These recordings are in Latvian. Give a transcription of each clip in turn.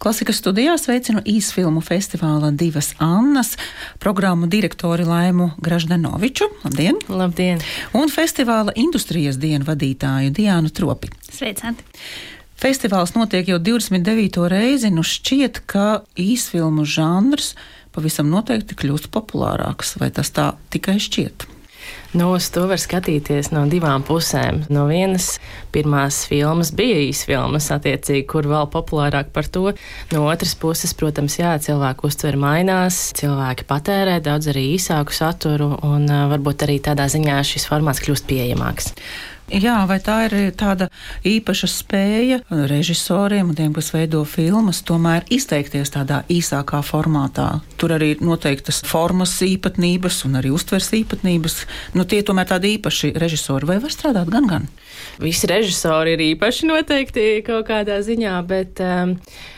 Klasikas studijā sveicinu īsfilmu festivāla Divas Annas programmu direktori Laimu Graždanoviču. Labdien! Labdien! Un festivāla industrijas dienu vadītāju Diānu Tropi. Sveicināti! Festivāls notiek jau 29. reizi, nu šķiet, ka īsfilmu žanrs pavisam noteikti kļūst populārāks, vai tas tā tikai šķiet? Uz to var skatīties no divām pusēm. No vienas, pirmās filmas bija īsfilmas, attiecīgi, kur vēl populārāk par to. No otras puses, protams, cilvēku uztver mainās, cilvēki patērē daudz arī īsāku saturu, un varbūt arī tādā ziņā šis formāts kļūst pieejamāks. Jā, vai tā ir tāda īpaša spēja režisoriem un tiem, kas veido filmas, tomēr izteikties tādā īsākā formātā? Tur arī ir noteiktas formas īpatnības un arī uztvers īpatnības. Tie tomēr tādi īpaši režisori, vai var strādāt gan? Visi režisori ir īpaši noteikti kaut kādā ziņā, bet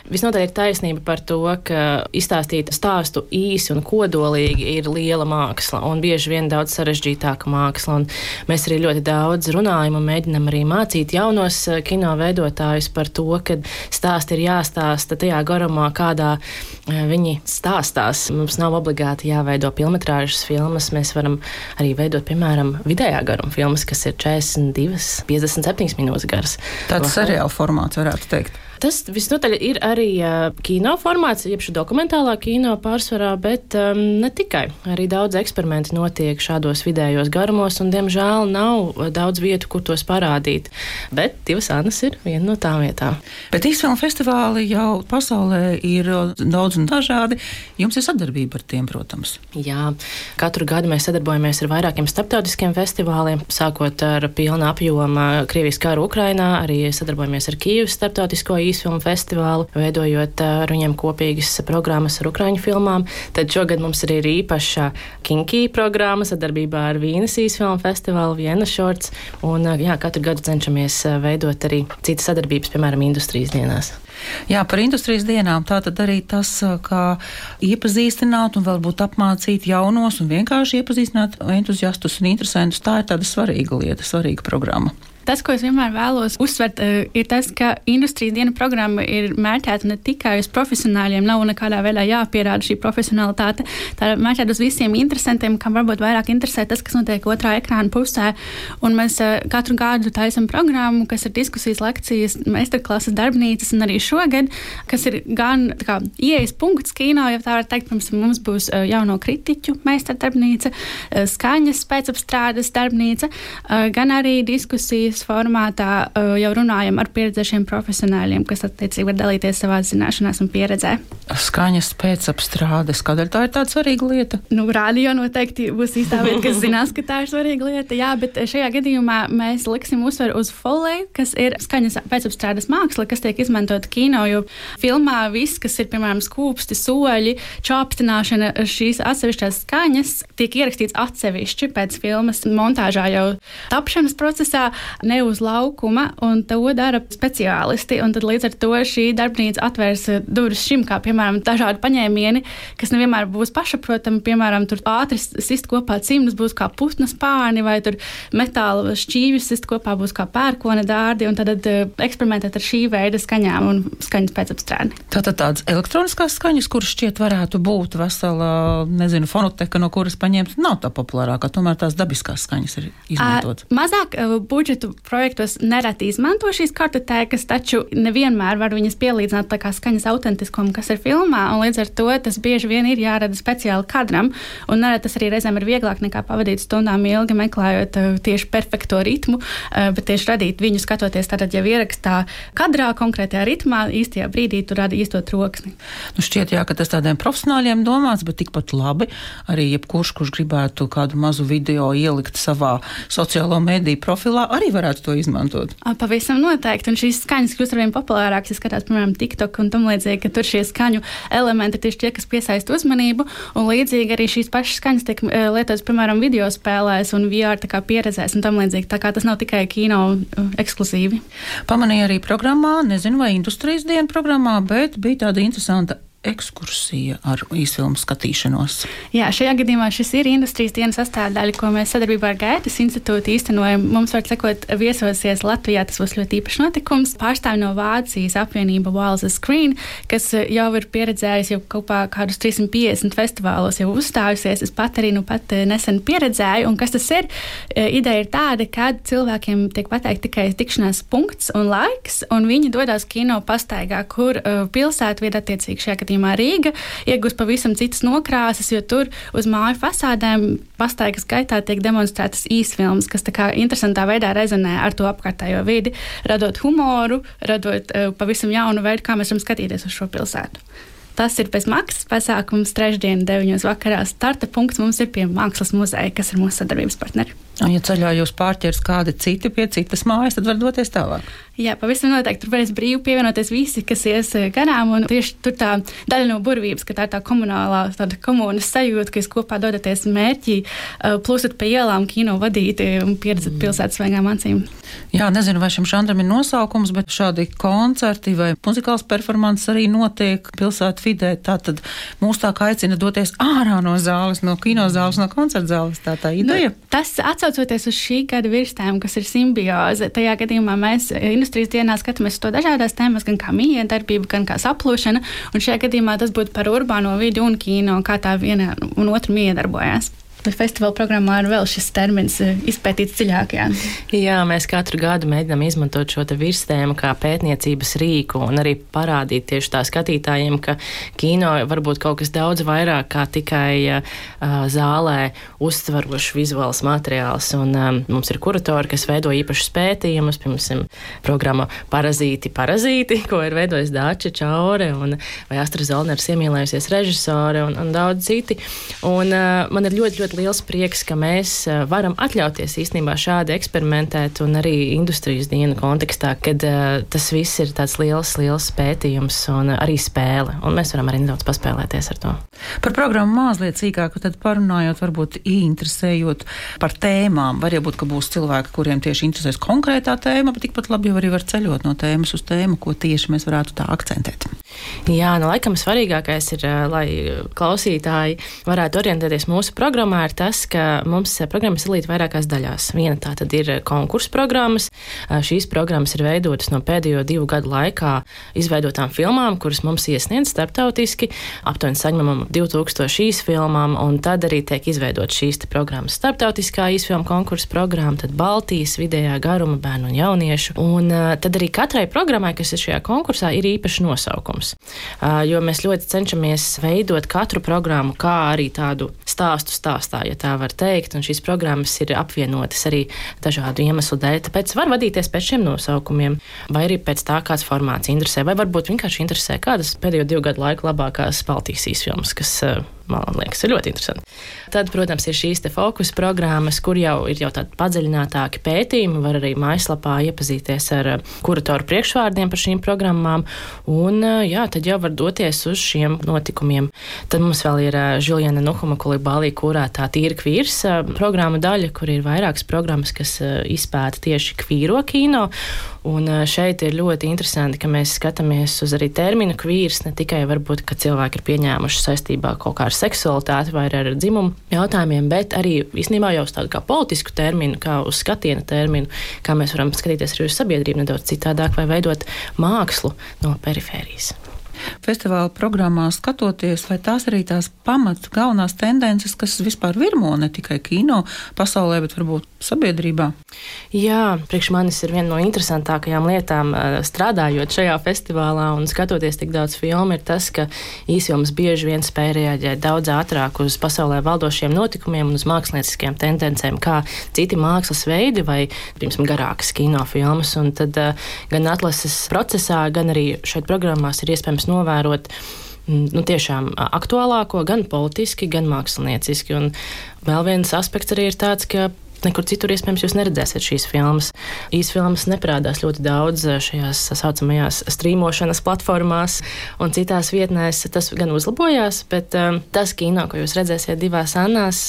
visnotaļ ir taisnība par to, ka izstāstīt stāstu īsi un kodolīgi ir liela māksla un bieži vien daudz sarežģītāka māksla. Un mēs arī ļoti daudz runājam un mēģinam arī mācīt jaunos kino veidotājus par to, ka stāsti ir jāstāsta tajā garumā, kādā viņi stāstās. Mums nav obligāti jāveido pilnmetrāžas filmas, mēs varam arī veidot, piemēram, vidējā garuma filmas, kas ir 42, 57 minūtes garas. Tāds seriāla formāts varētu teikt. Tas visnotaļ ir arī kino formāts, jeb dokumentālā kino pārsvarā, bet ne tikai. Arī daudz eksperimenti notiek šādos vidējos garumos, un, diemžēl, nav daudz vietu, kur tos parādīt. Bet Divas Annas ir viena no tām vietām. Bet īsfilmu festivāli jau pasaulē ir daudz un dažādi. Jums ir sadarbība ar tiem, protams. Jā, katru gadu mēs sadarbojamies ar vairākiem starptautiskiem festivāliem, sākot ar pilna apjoma Krievijas karu Ukrainā, arī sadarbojamies ar Kijevas starptautisko īsfilmu festivālu, veidojot ar viņiem kopīgas programmas ar ukraiņu filmām. Tad šogad mums arī ir īpaša Kinki programma sadarbībā ar Vīnes īsfilmu festivālu, Vienna Shorts, un katru gadu cenšamies veidot arī citas sadarbības, piemēram, industrijas dienās. Jā, par industrijas dienām tātad arī tas, kā iepazīstināt un varbūt apmācīt jaunos un vienkārši iepazīstināt entuziastus un interesantus, tā ir tāda svarīga lieta, svarīga programma. Tas, ko es vienmēr vēlos uzsvert, ir tas, ka industrijas dienu programma ir mērķēta ne tikai uz profesionāļiem, nav nekādā veidā jāpierāda šī profesionalitāte. Tā ir mērķēta uz visiem interesantiem, kam varbūt vairāk interesē tas, kas notiek otrā ekrāna pusē. Un mēs katru gadu taisam programmu, kas ir diskusijas, lekcijas, meistarklases, darbnīcas, un arī šogad, kas ir gan ieejas punkts kino, ja tā var teikt, pirms mums būs jauno kritiķu meistardarbnīca, skaņas pēcapstrādes darbnīca, gan arī diskusijas formātā jau runājam ar pieredzējušiem profesionāļiem, kas attiecīgi var dalīties savās zināšanās un pieredzē. Skaņas pēcapstrādes, kādēļ tā ir tāda svarīga lieta? Rādio noteikti būs īstā vieta, kas zinās, ka tā ir svarīga lieta, jā, bet šajā gadījumā mēs liksim uzsveru uz foley, kas ir skaņas pēcapstrādes māksla, kas tiek izmantot kino, jo filmā viss, kas ir, piemēram, skūpsti, soļi, čāpstināšana, šīs atsevišķās skaņas tiek ierakstīts atsevišķi pēc filmas montāžā jau tapšanas procesā, ne uz laukuma, un to dara speciālisti, un tad līdz ar to šī darbnīca atvērs durvis šim, kā, piemēram, dažādi paņēmieni, kas nevienmēr būs pašaprotami, piemēram, tur ātri sist kopā cimdus būs kā putnas pārni, vai tur metāla šķīvis sist kopā būs kā pērkona dārdi, un tad eksperimentēt ar šī veida skaņām un skaņas pēcapstrādi. Tātad tādas elektroniskās skaņas, kuras šķiet varētu būt vesela, fonoteka, no kuras paņemt, nav tā populārākā, tomēr tās dabiskās skaņas ir izmantot. Mazāk budžetu projektos nereti izmanto šīs kartotēkas, taču nevienmēr var viņas pielīdzināt tā kā skaņas autentiskumu, kas ir filmā, un līdz ar to tas bieži vien ir jārada speciāli kadram, un nereti tas arī reizēm ir vieglāk nekā pavadīt stundām ilgi meklējot tieši perfekto ritmu, bet tieši radīt viņu skatoties tātad jau ierakstā kadrā, konkrētajā ritmā, īstajā brīdī tu radi īsto troksni. Šķiet, jā, ka tas tādiem profesionāļiem domāts, bet tikpat labi arī jebkurš, kurš gribētu kādu mazu video ielikt savā sociālo mediju profilā, arī varētu to izmantot. Pavisam noteikti, un šīs skaņas kļūst arvien populārākas, ja skatās, piemēram, TikTok un tam līdzīgi, ka tur šie skaņu elementi tieši tie, kas piesaista uzmanību, un līdzīgi arī šīs pašas skaņas tiek lietotas, piemēram, video spēlēs un VR tā kā pieredzēs un tam līdzīgi, tā kā tas nav tikai kino ekskluzīvi. Pamanīju arī programmā, nezinu vai industrijas dienu programmā, bet bija tāda interesanta ekskursija ar īsfilmu skatīšanos? Jā, šajā gadījumā šis ir industrijas dienas sastāvdaļa, ko mēs sadarbībā ar Gaitas institūtu īstenojam. Mums var sakot, viesosies Latvijā, tas būs ļoti īpašs notikums. Pārstāvi no Vācijas apvienība Walls Screen, kas jau ir pieredzējusi jau kopā kādus 350 festivālos jau uzstājusies. Es pat arī nesen pieredzēju, un kas tas ir? Ideja ir tāda, ka cilvēkiem tiek pateikt tikai tikšanās punkts un laiks, un viņi dodās kino pastaigā, kur pilsētvieta, attiecīgi šajā gadījumā Rīga, iegūst pavisam citas nokrāsas, jo tur uz māju fasādēm pastaigas gaitā tiek demonstrētas īsfilmas, kas tā kā interesantā veidā rezonē ar to apkārtējo vidi, radot humoru, radot pavisam jaunu veidu, kā mēs varam skatīties uz šo pilsētu. Tas ir bez maksas pasākums trešdien 9 vakarā. Starta punkts mums ir pie Mākslas muzeja, kas ir mūsu sadarbības partneri. Un, ja ceļā jūs pārķers kādi citi pie citas mājas, tad var doties tālāk. Jā, pavisam noteikti. Tur varēs brīvi pievienoties visi, kas ies garām. Un tieši tur tā daļa no burvības, ka tā ir tā komunālā, tāda komunas sajūta, ka jūs kopā dodaties mērķī, plūstat pa ielām, kino vadīti un pieredzat pilsētas svaigām acīm. Jā, nezinu, vai šim žanram ir nosaukums, bet šādi koncerti vai muzikāls performances arī notiek pilsētu vidē. Tātad mūs tā kā aicina doties ārā no zāles, no kinozāles, no koncertzāles. Tā ideja. Tas atsaucoties uz šī gada virstēmu, kas ir simbioze, tajā gadījumā mēs industrijas dienā skatāmies to dažādās tēmas, gan kā miedarbība, gan kā saplūšana, un šajā gadījumā tas būtu par urbāno vidi un kino, kā tā viena un otra miedarbojās. Bet festivāla programmā ir vēl šis termins izpētīts dziļāk. Jā, mēs katru gadu mēģinām izmantot šo te virstēmu kā pētniecības rīku un arī parādīt tieši tā skatītājiem, ka kino var būt kaut kas daudz vairāk kā tikai zālē uztvarošs vizuāls materiāls. Un mums ir kuratori, kas veido īpašus pētījumus, piemēram, programma Parazīti, ko ir veidojis Dāča Čaure vai Astra Zolners iemīlējusies režisore un daudz citi. Un man ir ļoti liels prieks, ka mēs varam atļauties īstenībā šādi eksperimentēt un arī industrijas dienu kontekstā, kad tas viss ir tāds liels pētījums un arī spēle, un mēs varam arī nedaudz paspēlēties ar to. Par programmu mazliet sīkāk, tad parunājot, varbūt ieinteresējot par tēmām. Var jau būt, ka būs cilvēki, kuriem tieši interesēs konkrētā tēma, bet tikpat labi jau arī var ceļot no tēmas uz tēmu, ko tieši mēs varētu tā akcentēt. Jā, laikam svarīgākais ir, lai klausītāji varētu orientēties mūsu programmā, ir tas, ka mums programmas ir vairākās daļās. Viena tā tad ir konkursu programmas. Šīs programmas ir veidotas no pēdējo 2 gadu laikā izveidotām filmām, kuras mums iesniedz starptautiski. Aptuveni saņemam 2000 īsfilmām, un tad arī tiek izveidot šīs programmas. Starptautiskā īsfilmu konkursu programma, tad Baltijas vidējā garuma bērnu un jauniešu. Un tad arī katrai programmai, kas ir šajā konkursā, ir īpašs nosaukums. Jo mēs ļoti cenšamies veidot katru programmu kā arī tādu stāstu stāstā, ja tā var teikt, un šīs programmas ir apvienotas arī dažādu iemeslu dēļ, tāpēc var vadīties pēc šiem nosaukumiem, vai arī pēc tā, kāds formāts interesē, vai varbūt vienkārši interesē kādas pēdējo 2 gadu laiku labākās Baltijas īsfilmas, kas man liekas, ir ļoti interesanti. Tad, protams, ir šīs te fokus programmas, kur jau ir tādi padziļinātāki pētījumi, var arī mājaslapā iepazīties ar kuratoru priekšvārdiem par šīm programmām, un tad jau var doties uz šiem notikumiem. Tad mums vēl ir Juliana Nuhuma Kulibālī kurētā Tīra kvīrs programma daļa, kur ir vairākas programmas, kas izpēta tieši kvīro kino, un šeit ir ļoti interesanti, ka mēs skatāmies uz arī terminu kvīrs, ne tikai varbūt, ka cilvēki ir pieņēmuši saistībā kaut kā ar seksualitāti vai ar dzimumu jautājumiem, bet arī īstenībā jau uz tādu kā politisku terminu, kā uz skatiena terminu, kā mēs varam skatīties arī uz sabiedrību nedaudz citādāk vai veidot mākslu no perifērijas. Festivāla programmā skatoties, vai tās arī tās pamats galvenās tendences, kas vispār virmo ne tikai kino pasaulē, bet varbūt sabiedrībā? Jā, priekš manis ir viena no interesantākajām lietām strādājot šajā festivālā un skatoties tik daudz filmu, ir tas, ka īsfilmas bieži vien spēj reaģēt daudz ātrāk uz pasaulē valdošiem notikumiem un uz mākslinieckajām tendencēm, kā citi mākslas veidi vai, piemēram, garākas kinofilmas. Un tad gan atlases procesā, gan arī šeit programmās ir iespējams novērot tiešām aktuālāko, gan politiski, gan mākslinieciski. Un vēl viens aspekts arī ir tāds, ka nekur citur iespējams jūs neredzēsiet šīs filmas. Īsfilmas neparādās ļoti daudz šajās saucamajās strīmošanas platformās un citās vietnēs. Tas gan uzlabojās, bet tas kino, ko jūs redzēsiet 2 Annās,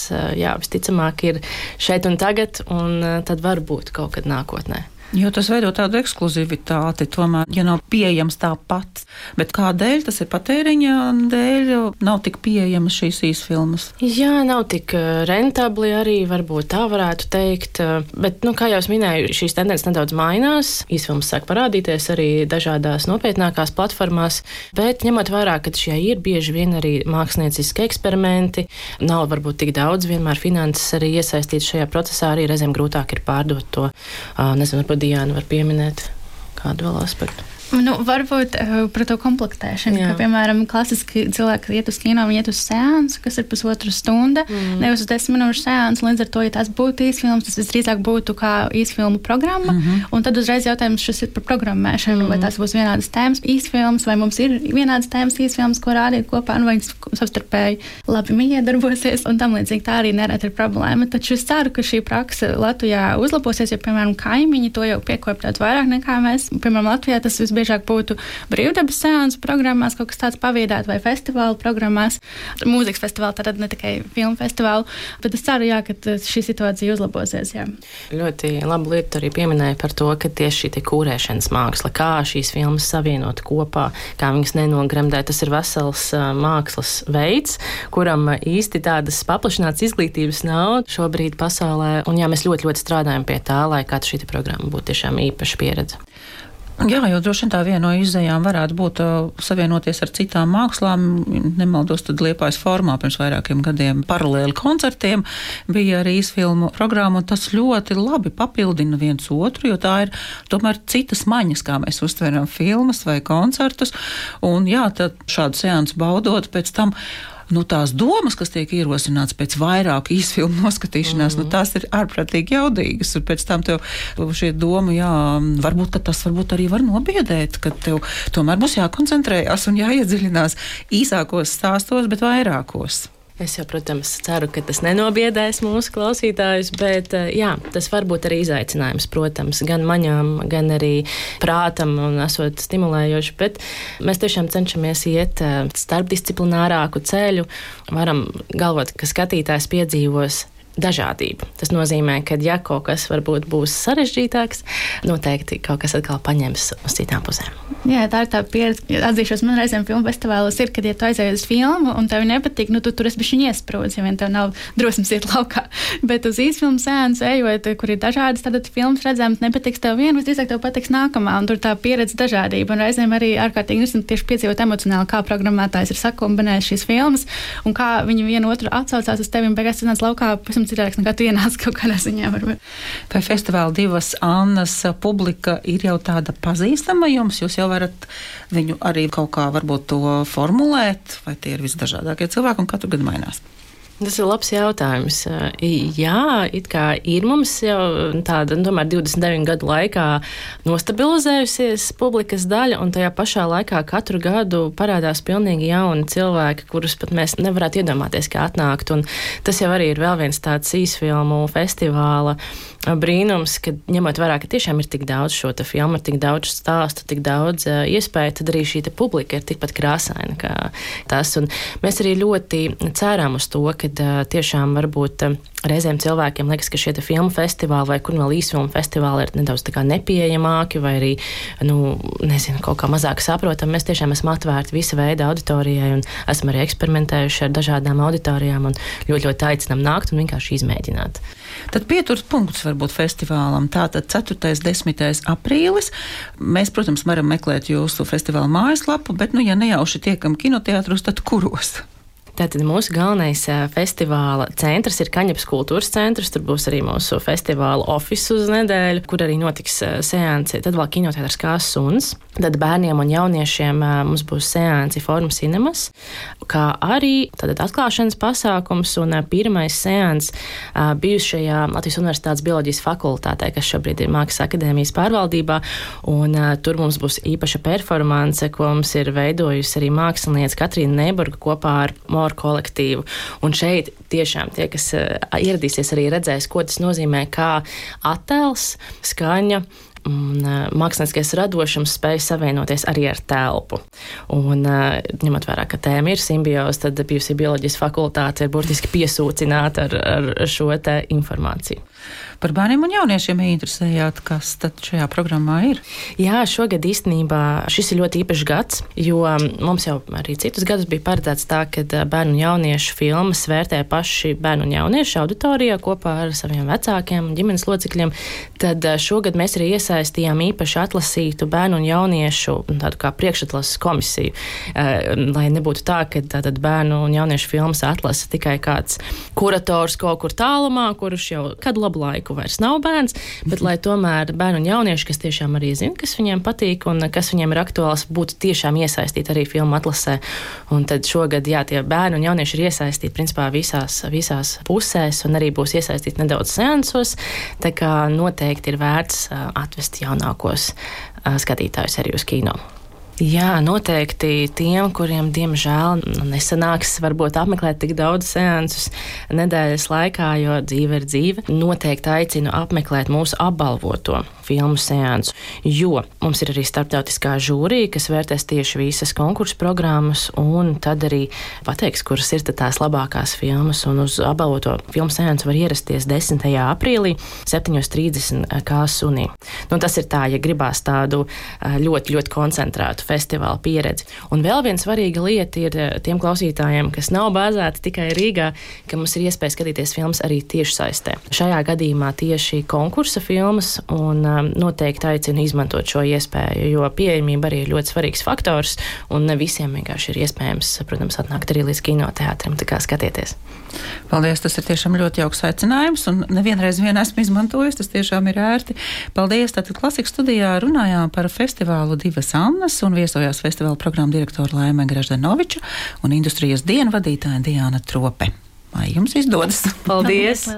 visticamāk ir šeit un tagad, un tad varbūt kaut kad nākotnē. Jo tas veido tādu ekskluzivitāti, tomēr, ja nav pieejams tāpat. Bet kādēļ tas ir patēriņa dēļ, nav tik pieejamas šīs īsfilmas? Jā, nav tik rentabli arī, varbūt tā varētu teikt. Bet, kā jau es minēju, šīs tendences nedaudz mainās. Īsfilmas sāk parādīties arī dažādās nopietnākās platformās, bet ņemot vērā, ka šie ir bieži vien arī mākslinieciski eksperimenti, nav varbūt tik daudz, vienmēr finanses arī iesaistīts šajā procesā, arī reizēm grūtāk ir pārdot to, nezinu, varbūt Diana var pieminēt kādu vēl aspektu. Varbūt par to komplektēšanu, ka, piemēram, klasiski cilvēki iet uz kino, viņi iet uz seansu, kas ir 1,5 stunda, nevis uz 10 minūšu seansu, līdz ar to, ja tās būtu īsfilmas, tas visdrīzāk būtu kā īsfilmu programma, un tad uzreiz jautājums šis ir par programmēšanu, vai tās būs vienādas tēmas īsfilmas, vai mums ir vienādas tēmas īsfilmas, ko rādīt kopā, vai viņas savstarpēji labi miedarbosies, un tam līdzīgi tā arī nereti ir problēma. Taču es ceru, ka šī praksa Latvijā uzlabosies, jo, piemēram, kaimiņi to jau piekopjāt vairāk nekā mēs. Piemēram, Latvijā tas visbiežāk būtu brīvdabas seansu programmās, kaut kas tāds paviedāt vai festivālu programmās, mūzikas festivālu, tātad ne tikai filmu festivālu, bet es ceru, ka šī situācija uzlabosies. Jā. Ļoti labu lietu arī pieminēja par to, ka tieši šī kūrēšanas māksla, kā šīs filmas savienot kopā, kā viņas nenogremdēt, tas ir vesels mākslas veids, kuram īsti tādas paplašinātas izglītības nav šobrīd pasaulē, un jā, mēs ļoti, ļoti strādājam pie tā, lai kāda šī programma būtu tiešām īpaša pieredze. Jā, jo droši vien tā viena no izējām varētu būt savienoties ar citām mākslām. Nemaldos, tad Liepājas formā pirms vairākiem gadiem paralēli koncertiem bija arī īsfilmu programma, un tas ļoti labi papildina viens otru, jo tā ir tomēr citas maņas, kā mēs uztveram filmas vai koncertus, un jā, tad šādu seansu baudot pēc tam tās domas, kas tiek ierosināts pēc vairāku īsfilmu noskatīšanās, tās ir ārprātīgi jaudīgas. Un pēc tam tev šie doma, varbūt, ka tas varbūt arī var nobiedēt, ka tev tomēr būs jākoncentrējās un jāiedziļinās īsākos stāstos, bet vairākos. Es jau, protams, ceru, ka tas nenobiedēs mūsu klausītājus, bet jā, tas var būt arī izaicinājums, protams, gan maņām, gan arī prātam un esot stimulējoši, bet mēs tiešām cenšamies iet starpdisciplinārāku ceļu. Varam galvot, ka skatītājs piedzīvos dažādību. Tas nozīmē, ka ja kaut kas varbūt būs sarežģītāks, noteikti kaut kas atkal paņems uz citām pusēm. Jā, tā ir tā pieredze. Atzīšos, man reizēm filmu festivālos ir, kad, ja tu aizēji uz filmu un tev nepatīk, tu tur esi bišķiņ iesprūdis, ja vien tev nav drosmes iet laukā. Bet uz īsfilmu seansu ejot, kur ir dažādas tādas filmas redzams, nepatiks tev viena, visdrīzāk tev patiks nākamā, un tur tā pieredze dažādība. Un reizēm arī ārkārtīgi interesanti tieši piedzīvot emocionāli, kā programmētājs ir sakombinējis šīs filmas un kā viņi vienu otru atsaucās uz tevi un beigās sanāc laukā citādāks nekā tu ienāc kaut kādā ziņā. Varbūt. Vai festivāla Divas Annas publika ir jau tāda pazīstama jums? Jūs jau varat viņu arī kaut kā varbūt to formulēt, vai tie ir visdažādākie cilvēki un katru gadu mainās? Tas ir labs jautājums. Jā, it kā ir mums jau tāda, tomēr 29 gadu laikā nostabilizējusies publikas daļa, un tajā pašā laikā katru gadu parādās pilnīgi jauni cilvēki, kurus pat mēs nevarētu iedomāties, kā atnākt. Un tas jau arī ir vēl viens tāds īsfilmu festivāla brīnums, ka ņemot vērā, ka tiešām ir tik daudz šo te filmu, ir tik daudz stāstu, tik daudz iespēju, tad arī šī te publika ir tikpat krāsaina kā tas. Un mēs arī ļoti ceram uz to, kad tiešām varbūt reizēm cilvēkiem liekas, ka šie te filmu festivāli vai kur vēl īsfilmu festivāli ir nedaudz tā kā nepieejamāki vai arī, nezinu, kaut kā mazāk saprotam. Mēs tiešām esam atvērti visa veida auditorijai un esam arī eksperimentējuši ar dažādām auditorijām un ļoti, ļoti aicinām nākt un vienkārši izmēģināt. Tad pieturas punkts varbūt festivālam. Tātad 4. 10. aprīlis. Mēs, protams, varam meklēt jūsu festivāla mājaslapu, bet, ja nejauši tiekam kinoteātros, tad kuros? Tātad mūsu galvenais festivāla centrs ir Kaņepes kultūras centrs. Tur būs arī mūsu festivāla office uz nedēļu, kur arī notiks seansi. Tad vēl kinoteātrs kā Suns. Tad bērniem un jauniešiem mums būs seansi Forum Cinemas, kā arī tātad atklāšanas pasākums un pirmais seans bijušajā Latvijas Universitātes bioloģijas fakultātē, kas šobrīd ir Mākslas akadēmijas pārvaldībā. Un tur mums būs īpaša performance, ko mums ir veidojusi arī mākslinieca Katrīna Neiburga kopā ar kolektīvu. Un šeit tiešām tie, kas ieradīsies, arī redzēs, ko tas nozīmē, kā attēls, skaņa un mākslinieckais radošums spēj savienoties arī ar telpu. Un ņemot vērā, ka tēma ir simbioze, tad bijusī bioloģijas fakultāte ir burtiski piesūcināta ar šo te informāciju. Par bērniem un jauniešiem interesējāt, kas tad šajā programmā ir? Jā, šogad īstenībā šis ir ļoti īpašs gads, jo mums jau arī citus gadus bija paredzēts tā, ka bērnu un jauniešu filmas vērtē paši bērnu un jauniešu auditorijā kopā ar saviem vecākiem un ģimenes locekļiem. Tad šogad mēs arī iesaistījām īpaši atlasītu bērnu un jauniešu tādu kā priekšatlases komisiju, lai nebūtu tā, ka tātad bērnu un jauniešu filmas atlasa tikai kāds kurators kaut kur tālumā, kurš jau kādu labu laiku vairs nav bērns, bet lai tomēr bērnu un jaunieši, kas tiešām arī zina, kas viņiem patīk un kas viņiem ir aktuāls, būtu tiešām iesaistīti arī filmu atlasē. Un tad šogad, jā, tie bērni un jaunieši ir iesaistīti principā visās pusēs un arī būs iesaistīti nedaudz seansos, tā kā noteikti ir vērts atvest jaunākos skatītājus arī uz kino. Jā, noteikti tiem, kuriem diemžēl nesanāks varbūt apmeklēt tik daudz seansus nedēļas laikā, jo dzīve ir dzīve, noteikti aicinu apmeklēt mūsu apbalvoto filmu seansu, jo mums ir arī starptautiskā žūrija, kas vērtēs tieši visas konkursu programmas un tad arī pateiks, kuras ir tās labākās filmas, un uz apbalvoto filmu seansu var ierasties 10. aprīlī 7:30 kā sunī. Tas ir tā, ja gribās tādu ļoti, ļoti koncentrētu festivāla pieredzi. Un vēl viena svarīga lieta ir tiem klausītājiem, kas nav bāzēti tikai Rīgā, ka mums ir iespēja skatīties filmas arī tiešsaistē. Šajā gadījumā tieši konkursa filmas un noteikti aicinu izmantot šo iespēju, jo pieejamība arī ir ļoti svarīgs faktors un ne visiem vienkārši ir iespējams, protams, atnākt arī līdz kinoteātrim, tā kā skatieties. Paldies, tas ir tiešām ļoti jauks aicinājums un nevienreiz esmu izmantojis, tas tiešām ir ērti. Paldies, tātad Klasikas studijā runājām par festivālu Divas Annas un viesojās festivāla programmu direktora Laime Graždanoviča un industrijas dienu vadītāja Diana Trope. Lai jums izdodas! Paldies!